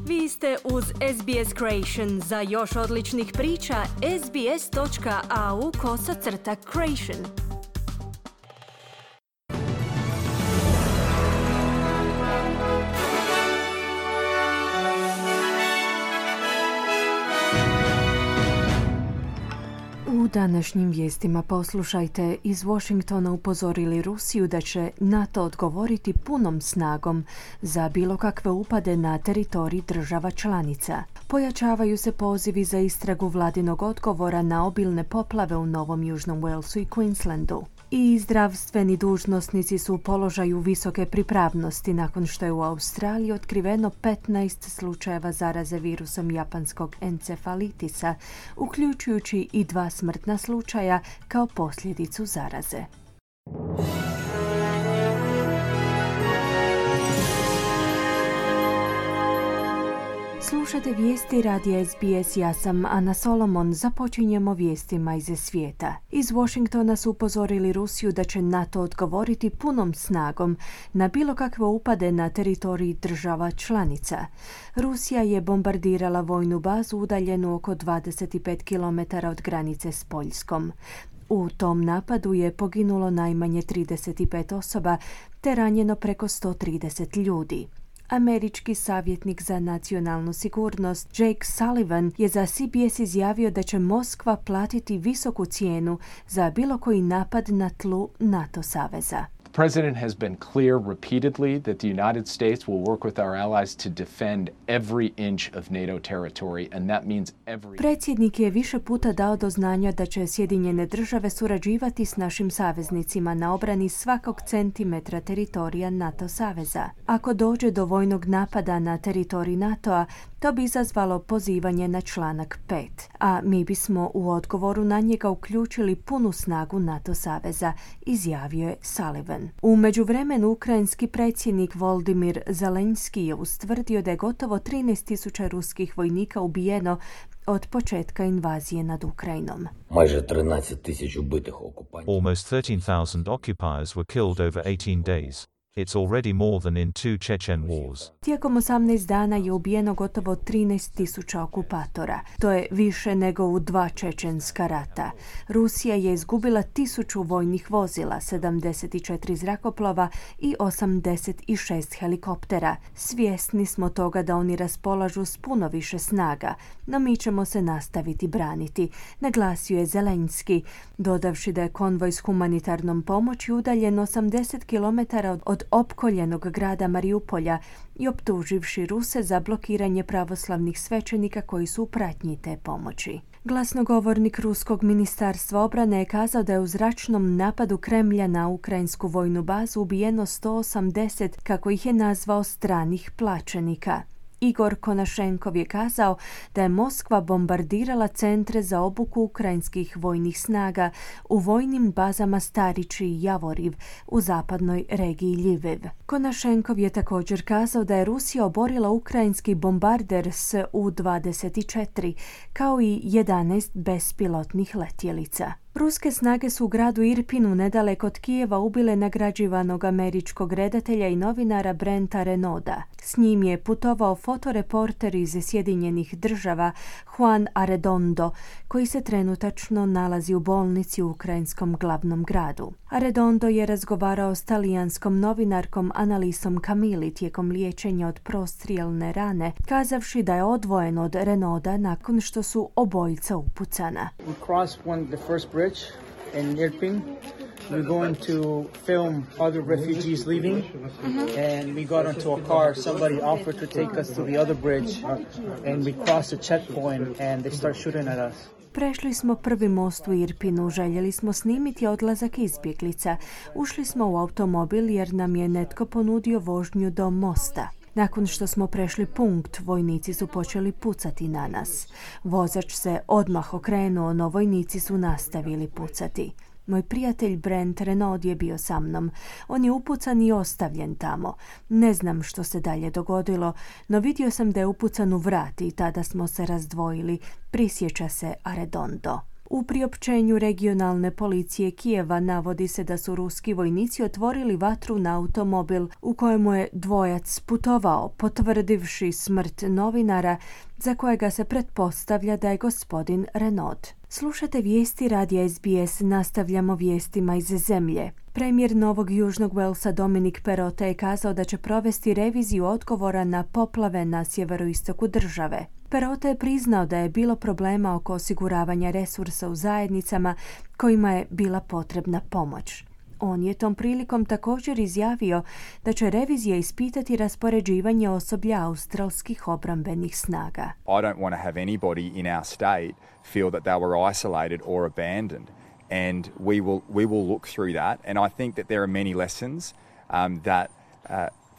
Vi ste uz SBS Creation. Za još odličnih priča, sbs.au/creation. U današnjim vijestima poslušajte, iz Washingtona upozorili Rusiju da će NATO odgovoriti punom snagom za bilo kakve upade na teritorij država članica. Pojačavaju se pozivi za istragu vladinog odgovora na obilne poplave u Novom Južnom Walesu i Queenslandu. I zdravstveni dužnosnici su u položaju visoke pripravnosti nakon što je u Australiji otkriveno 15 slučajeva zaraze virusom japanskog encefalitisa, uključujući i 2 smrtna slučaja kao posljedicu zaraze. Slušate vijesti radija SBS, ja sam Ana Solomon. Započinjemo vijestima iz svijeta. Iz Washingtona su upozorili Rusiju da će NATO odgovoriti punom snagom na bilo kakve upade na teritorij država članica. Rusija je bombardirala vojnu bazu udaljenu oko 25 km od granice s Poljskom. U tom napadu je poginulo najmanje 35 osoba te ranjeno preko 130 ljudi. Američki savjetnik za nacionalnu sigurnost Jake Sullivan je za CBS izjavio da će Moskva platiti visoku cijenu za bilo koji napad na tlu NATO saveza. The president has been clear repeatedly that the United States will work with our allies to defend every inch of NATO territory, and that means every... Predsjednik je više puta dao do znanja da će Sjedinjene države surađivati s našim saveznicima na obrani svakog centimetra teritorija NATO saveza. Ako dođe do vojnog napada na teritorij NATO-a, to bi izazvalo pozivanje na članak 5, a mi bismo u odgovoru na njega uključili punu snagu NATO saveza, izjavio je Sullivan. U međuvremenu ukrajinski predsjednik Volodymyr Zelenski je ustvrdio da je gotovo 13.000 ruskih vojnika ubijeno od početka invazije nad Ukrajinom. Almost 13,000 occupiers were killed over 18 days. It's already more than in 2 Chechen wars. Tijekom 18 dana je ubijeno gotovo 13.000 okupatora. To je više nego u 2 čečenska rata. Rusija je izgubila 1000 vojnih vozila, 74 zrakoplova i 86 helikoptera. Svjesni smo toga da oni raspolažu s puno više snaga, no mi ćemo se nastaviti braniti, naglasio je Zelenski, dodavši da je konvoj s humanitarnom pomoći udaljen 80 km od opkoljenog grada Mariupolja i optuživši Ruse za blokiranje pravoslavnih svećenika koji su u pratnji te pomoći. Glasnogovornik Ruskog ministarstva obrane je kazao da je u zračnom napadu Kremlja na ukrajinsku vojnu bazu ubijeno 180, kako ih je nazvao, stranih plaćenika. Igor Konašenkov je kazao da je Moskva bombardirala centre za obuku ukrajinskih vojnih snaga u vojnim bazama Starići i Javoriv u zapadnoj regiji Ljiviv. Konašenkov je također kazao da je Rusija oborila ukrajinski bombarder Su-24 kao i 11 bespilotnih letjelica. Ruske snage su u gradu Irpinu nedaleko od Kijeva ubile nagrađivanog američkog redatelja i novinara Brenta Renauda. S njim je putovao fotoreporter iz Sjedinjenih država Juan Arredondo, koji se trenutačno nalazi u bolnici u ukrajinskom glavnom gradu. Arredondo je razgovarao s talijanskom novinarkom Analisom Camilli tijekom liječenja od prostrijelne rane, kazavši da je odvojen od Renauda nakon što su obojica upucana. In Irpin, we're going to film other refugees leaving, and we got into a car. Somebody offered to take us to the other bridge, and we crossed a checkpoint, and they start shooting at us. Prešli smo prvi most u Irpinu, željeli smo snimiti odlazak izbjeglica. Ušli smo u automobil jer nam je netko ponudio vožnju do mosta. Nakon što smo prešli punkt, vojnici su počeli pucati na nas. Vozač se odmah okrenuo, no vojnici su nastavili pucati. Moj prijatelj Brent Renaud je bio sa mnom. On je upucan i ostavljen tamo. Ne znam što se dalje dogodilo, no vidio sam da je upucan u vrat i tada smo se razdvojili, prisjeća se Arredondo. U priopćenju regionalne policije Kijeva navodi se da su ruski vojnici otvorili vatru na automobil u kojemu je dvojac putovao, potvrdivši smrt novinara za kojega se pretpostavlja da je gospodin Renaud. Slušate vijesti radija SBS, nastavljamo vijestima iz zemlje. Premijer Novog Južnog Walesa Dominic Perrottet je kazao da će provesti reviziju odgovora na poplave na sjeveroistoku države. Perrottet je priznao da je bilo problema oko osiguravanja resursa u zajednicama kojima je bila potrebna pomoć. On je tom prilikom također izjavio da će revizija ispitati raspoređivanje osoblja australskih obrambenih snaga. I don't want to have anybody in our state feel that they were isolated or abandoned, and we will look through that, and I think that there are many lessons that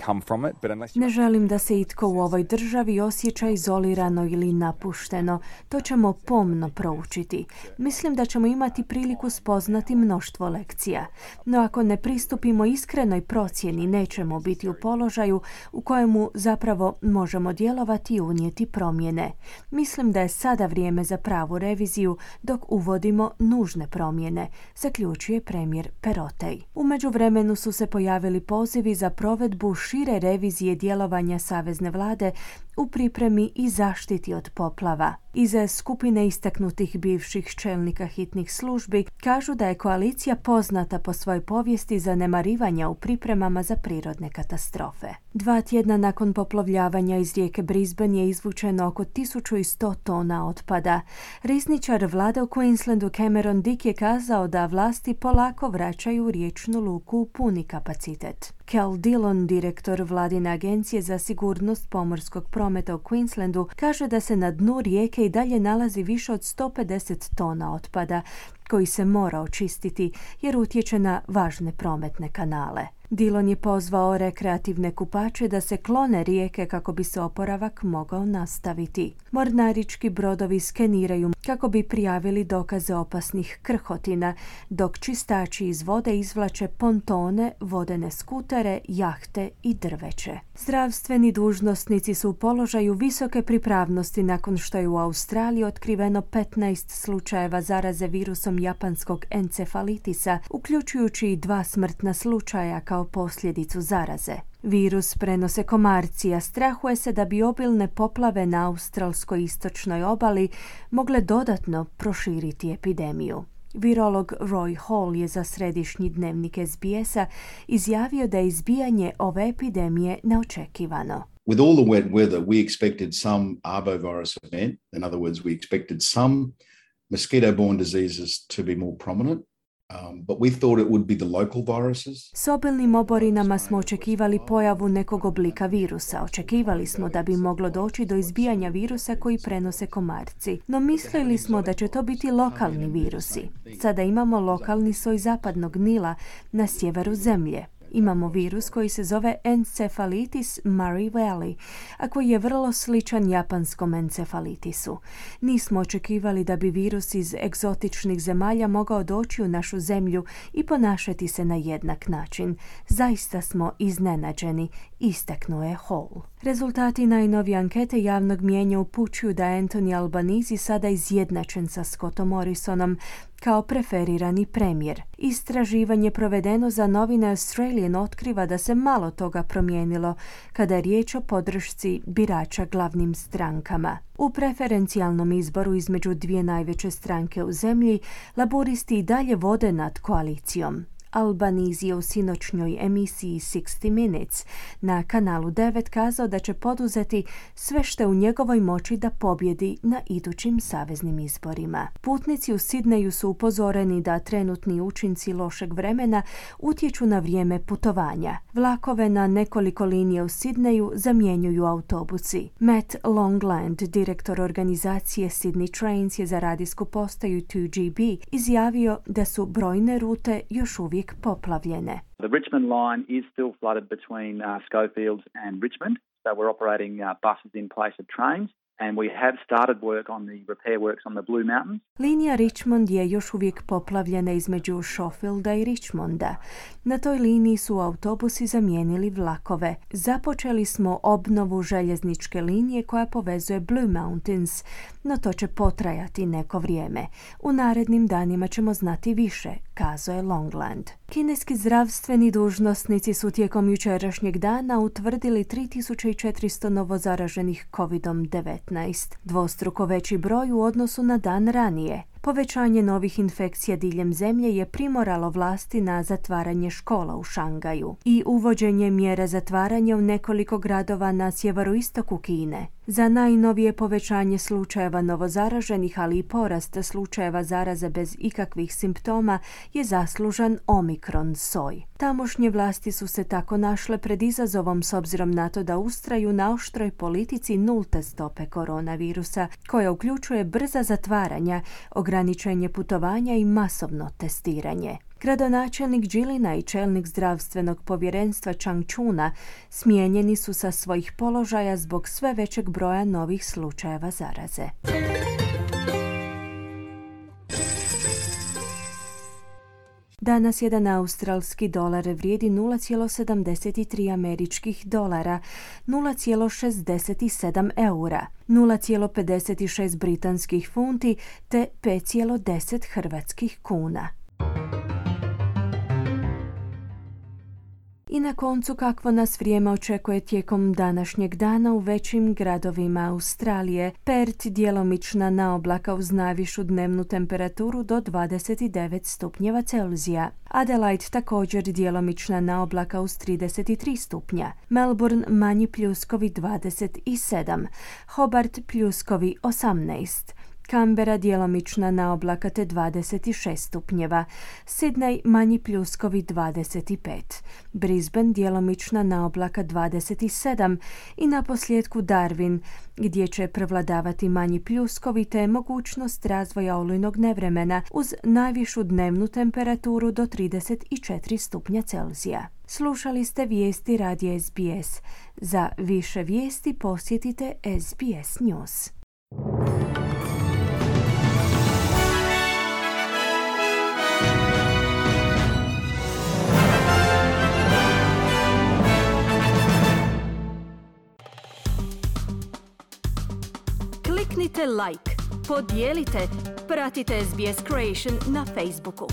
come from it, but unless Ne želim da se itko u ovoj državi osjeća izolirano ili napušteno. To ćemo pomno proučiti. Mislim da ćemo imati priliku spoznati mnoštvo lekcija. No ako ne pristupimo iskrenoj procjeni, nećemo biti u položaju u kojemu zapravo možemo djelovati i unijeti promjene. Mislim da je sada vrijeme za pravu reviziju dok uvodimo nužne promjene, zaključuje premijer Perrottet. U međuvremenu su se pojavili pozivi za provedbu šire revizije djelovanja savezne vlade u pripremi i zaštiti od poplava. Iza skupine istaknutih bivših čelnika hitnih službi kažu da je koalicija poznata po svojoj povijesti zanemarivanja u pripremama za prirodne katastrofe. 2 tjedna nakon poplovljavanja iz rijeke Brisbane je izvučeno oko 1100 tona otpada. Rizničar vlade u Queenslandu Cameron Dick je kazao da vlasti polako vraćaju riječnu luku u puni kapacitet. Cal Dillon, direktor vladine agencije za sigurnost pomorskog prometa u Queenslandu, kaže da se na dnu rijeke i dalje nalazi više od 150 tona otpada koji se mora očistiti jer utječe na važne prometne kanale. Dillon je pozvao rekreativne kupače da se klone rijeke kako bi se oporavak mogao nastaviti. Mornarički brodovi skeniraju kako bi prijavili dokaze opasnih krhotina, dok čistači iz vode izvlače pontone, vodene skutere, jahte i drveće. Zdravstveni dužnosnici su u položaju visoke pripravnosti nakon što je u Australiji otkriveno 15 slučajeva zaraze virusom japanskog encefalitisa, uključujući i 2 smrtna slučaja kao posljedicu zaraze. Virus prenose komarci, a strahuje se da bi obilne poplave na australskoj istočnoj obali mogle dodatno proširiti epidemiju. Virolog Roy Hall je za središnji dnevnik SBS-a izjavio da je izbijanje ove epidemije neočekivano. With all the wet weather, we expected some arbovirus event. In other words, we expected some mosquito-borne diseases to be more prominent. But we thought it would be the local viruses. S obilnim oborinama smo očekivali pojavu nekog oblika virusa. Očekivali smo da bi moglo doći do izbijanja virusa koji prenose komarci. No mislili smo da će to biti lokalni virusi. Sada imamo lokalni soj zapadnog Nila na sjeveru zemlje. Imamo virus koji se zove Encephalitis Murray-Valley, a koji je vrlo sličan japanskom encefalitisu. Nismo očekivali da bi virus iz egzotičnih zemalja mogao doći u našu zemlju i ponašati se na jednak način. Zaista smo iznenađeni, istaknuo je Hall. Rezultati najnovije ankete javnog mijenja upućuju da je Anthony Albanese sada izjednačen sa Scottom Morrisonom kao preferirani premijer. Istraživanje provedeno za novine Australian otkriva da se malo toga promijenilo kada je riječ o podršci birača glavnim strankama. U preferencijalnom izboru između 2 najveće stranke u zemlji, laburisti i dalje vode nad koalicijom. Albanese je u sinoćnjoj emisiji 60 Minutes na kanalu 9 kazao da će poduzeti sve što je u njegovoj moći da pobjedi na idućim saveznim izborima. Putnici u Sidneju su upozoreni da trenutni učinci lošeg vremena utječu na vrijeme putovanja. Vlakove na nekoliko linija u Sidneju zamjenjuju autobusi. Matt Longland, direktor organizacije Sydney Trains, je za radijsku postaju 2GB izjavio da su brojne rute još uvijek poplavljene. The Richmond line is still flooded between Schofields and Richmond, so we're operating buses in place of trains. and we have started work on the repair works on the Blue Mountains. Linija Richmond je još uvijek poplavljena između Schofielda i Richmonda. Na toj liniji su autobusi zamijenili vlakove. Započeli smo obnovu željezničke linije koja povezuje Blue Mountains, no to će potrajati neko vrijeme. U narednim danima ćemo znati više, kazao je Longland. Kineski zdravstveni dužnosnici su tijekom jučerašnjeg dana utvrdili 3400 novozaraženih COVID-19, dvostruko veći broj u odnosu na dan ranije. Povećanje novih infekcija diljem zemlje je primoralo vlasti na zatvaranje škola u Šangaju i uvođenje mjera zatvaranja u nekoliko gradova na sjeveroistoku Kine. Za najnovije povećanje slučajeva novozaraženih, ali i porast slučajeva zaraze bez ikakvih simptoma je zaslužan Omikron soj. Tamošnje vlasti su se tako našle pred izazovom s obzirom na to da ustraju na oštroj politici nulte stope koronavirusa, koja uključuje brza zatvaranja, ograničenje putovanja i masovno testiranje. Gradonačelnik Jilina i čelnik zdravstvenog povjerenstva Changchuna smijenjeni su sa svojih položaja zbog sve većeg broja novih slučajeva zaraze. Danas jedan australski dolar vrijedi 0,73 američkih dolara, 0,67 eura, 0,56 britanskih funti te 5,10 hrvatskih kuna. I na koncu, kakvo nas vrijeme očekuje tijekom današnjeg dana u većim gradovima Australije. Perth djelomična naoblaka uz najvišu dnevnu temperaturu do 29 stupnjeva Celzija. Adelaide također djelomična naoblaka uz 33 stupnja. Melbourne manji pljuskovi 27. Hobart pljuskovi 18. Canberra djelomična naoblaka te 26 stupnjeva, Sydney manji pljuskovi 25, Brisbane djelomična naoblaka 27 i naposljetku Darwin gdje će prevladavati manji pljuskovi te mogućnost razvoja olujnog nevremena uz najvišu dnevnu temperaturu do 34 stupnja Celzija. Slušali ste vijesti radija SBS. Za više vijesti posjetite SBS News. Kliknite like, podijelite, pratite SBS Creation na Facebooku.